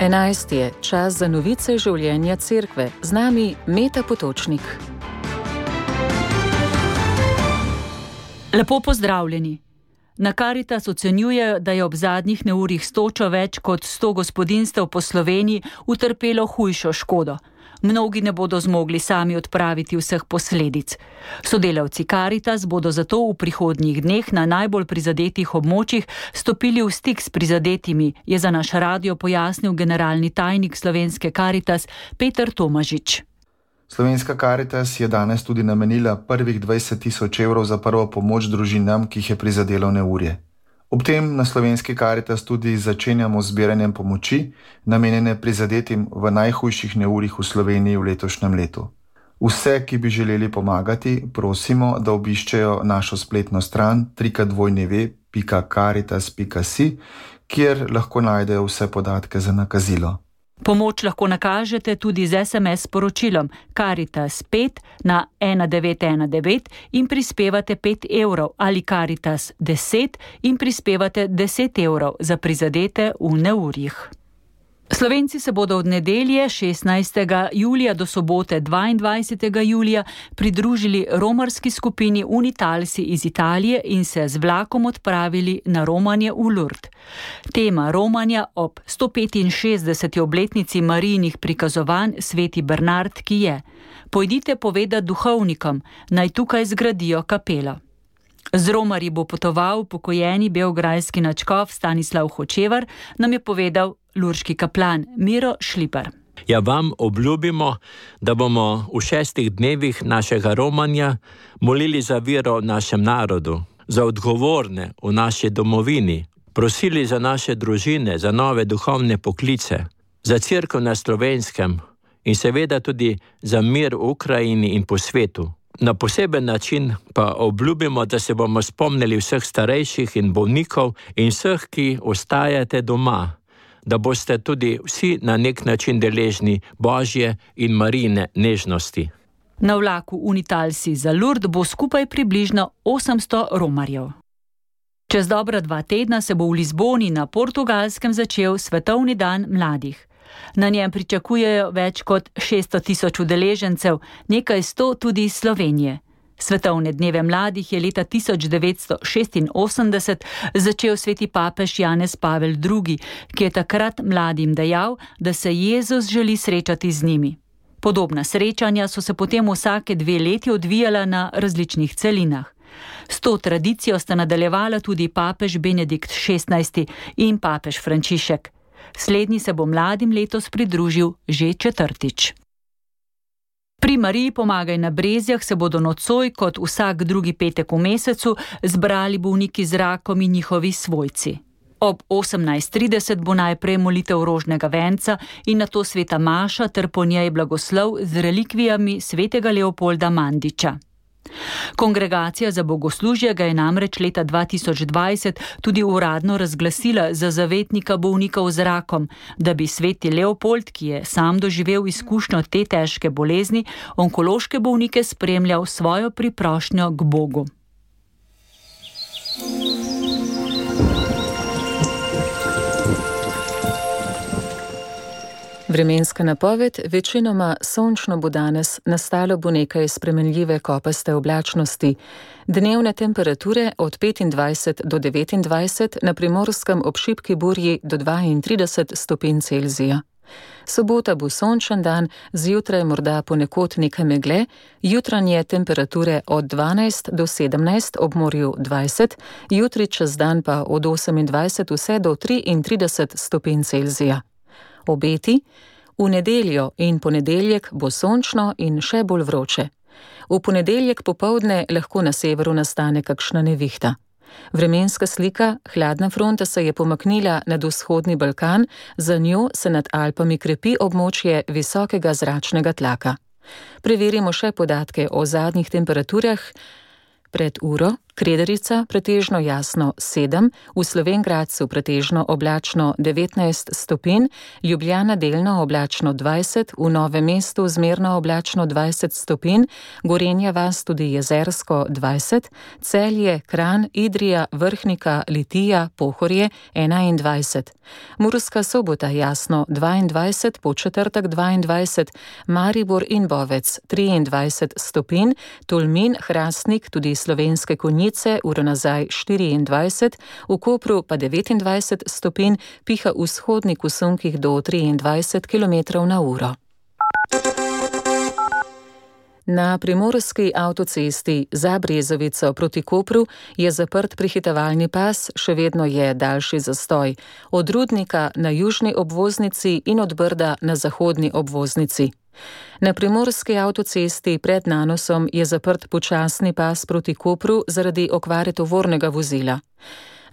11 je čas za novice življenja cerkve. Z nami Meta Potočnik. Lepo pozdravljeni. Na Karitas ocenjujejo, da je ob zadnjih neurjih s točo več kot 100 gospodinjstev po Sloveniji utrpelo hujšo škodo. Mnogi ne bodo zmogli sami odpraviti vseh posledic. Sodelavci Karitas bodo zato v prihodnjih dneh na najbolj prizadetih območjih stopili v stik s prizadetimi, je za naš radio pojasnil generalni tajnik Slovenske Karitas Peter Tomažič. Slovenska Karitas je danes tudi namenila prvih 20.000 evrov za prvo pomoč družinam, ki jih je prizadelo neurje. Ob tem na Slovenski Karitas tudi začenjamo z zbiranjem pomoči, namenjene prizadetim v najhujših neurjih v Sloveniji v letošnjem letu. Vse, ki bi želeli pomagati, prosimo, da obiščejo našo spletno stran www.caritas.si, kjer lahko najdejo vse podatke za nakazilo. Pomoč lahko nakažete tudi z SMS sporočilom Karitas 5 na 1919 in prispevate 5 evrov ali Karitas 10 in prispevate 10 evrov za prizadete v neurjih. Slovenci se bodo od nedelje 16. julija do sobote 22. julija pridružili romarski skupini Unitalsi iz Italije in se z vlakom odpravili na romanje v Lourdes. Tema romanja ob 165. obletnici Marijinih prikazovanj Sveti Bernard, ki je: pojdite povedati duhovnikom, naj tukaj zgradijo kapelo. Z romarji bo potoval pokojeni beograjski nadškof Stanislav Hočevar, nam je povedal lurški kaplan Miro Šlipar. Ja, vam obljubimo, da bomo v 6 dnevih našega romanja molili za vero v našem narodu, za odgovorne v naši domovini, prosili za naše družine, za nove duhovne poklice, za cerkev na Slovenskem in seveda tudi za mir v Ukrajini in po svetu. Na poseben način pa obljubimo, da se bomo spomnili vseh starejših in bolnikov in vseh, ki ostajate doma, da boste tudi vsi na nek način deležni Božje in Marijine nežnosti. Na vlaku Unitalsi za Lourdes bo skupaj približno 800 romarjev. Čez dobra 2 tedna se bo v Lizboni na Portugalskem začel Svetovni dan mladih. Na njem pričakujejo več kot 600.000 udeležencev, nekaj 100 tudi iz Slovenije. Svetovne dneve mladih je leta 1986 začel sveti papež Janez Pavel II, ki je takrat mladim dejal, da se Jezus želi srečati z njimi. Podobna srečanja so se potem vsake 2 leti odvijala na različnih celinah. S to tradicijo sta nadaljevala tudi papež Benedikt XVI in papež Frančišek. Slednji se bo mladim letos pridružil že 4. Pri Mariji pomagaj na Brezjah se bodo nocoj, kot vsak drugi petek v mesecu, zbrali bolniki z rakom in njihovi svojci. Ob 18.30 bo najprej molitev rožnega venca in nato sveta maša ter po njej blagoslov z relikvijami svetega Leopolda Mandiča. Kongregacija za bogoslužje ga je namreč leta 2020 tudi uradno razglasila za zavetnika bolnikov z rakom, da bi sveti Leopold, ki je sam doživel izkušnjo te težke bolezni, onkološke bolnike spremljal svojo priprošnjo k Bogu. Vremenska napoved: večinoma sončno bo danes, nastalo bo nekaj spremenljive kopaste oblačnosti. Dnevne temperature od 25 do 29, na Primorskem ob šibki burji do 32 stopinj Celzija. Sobota bo sončen dan, zjutraj morda ponekod nekaj megle, jutranje temperature od 12 do 17, ob morju 20, jutri čez dan pa od 28 vse do 33 stopinj Celzija. Obeti: v nedeljo in ponedeljek bo sončno in še bolj vroče. V ponedeljek popoldne lahko na severu nastane kakšna nevihta. Vremenska slika: hladna fronta se je pomaknila nad vzhodni Balkan, za njo se nad Alpami krepi območje visokega zračnega tlaka. Preverimo še podatke o zadnjih temperaturah. Pred uro Krederica pretežno jasno 7, v Slovenj Gradcu pretežno oblačno 19 stopinj, Ljubljana delno oblačno 20, v Novem mestu zmerno oblačno 20 stopinj, Gorenja vas tudi jezersko 20, Celje, Kranj, Idrija, Vrhnika, Litija, Pohorje 21. Murska Sobota jasno 22, Podčetrtek 22, Maribor in Bovec 23 stopinj, Tolmin, Hrastnik, tudi Slovenske Konjice, uro nazaj 24, v Kopru pa 29 stopinj, piha vzhodnik v sunkih do 23 km/h. Na primorski avtocesti za Brezovico proti Kopru je zaprt prehitevalni pas, še vedno je daljši zastoj. Od Rudnika na južni obvoznici in od Brda na zahodni obvoznici. Na primorski avtocesti pred Nanosom je zaprt počasni pas proti Kopru zaradi okvare tovornega vozila.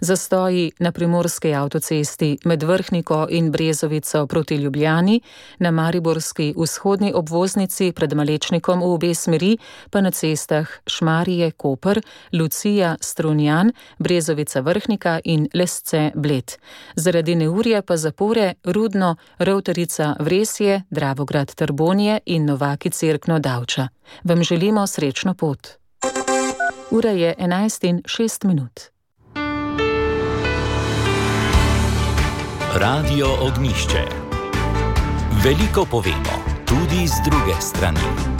Zastoji na primorski avtocesti med Vrhniko in Brezovico proti Ljubljani, na mariborski vzhodni obvoznici pred Malečnikom v obe smeri, pa na cestah Šmarje, Koper, Lucija, Strunjan, Brezovica, Vrhnika in Lesce, Bled. Zaradi neurja pa zapore Rudno, Rovtarica, Vresje, Dravograd, Trbonje in Novaki, Cerkno, Davča. Vam želimo srečno pot. Ura je 11:06. Radio Ognjišče. Veliko povemo, tudi z druge strani.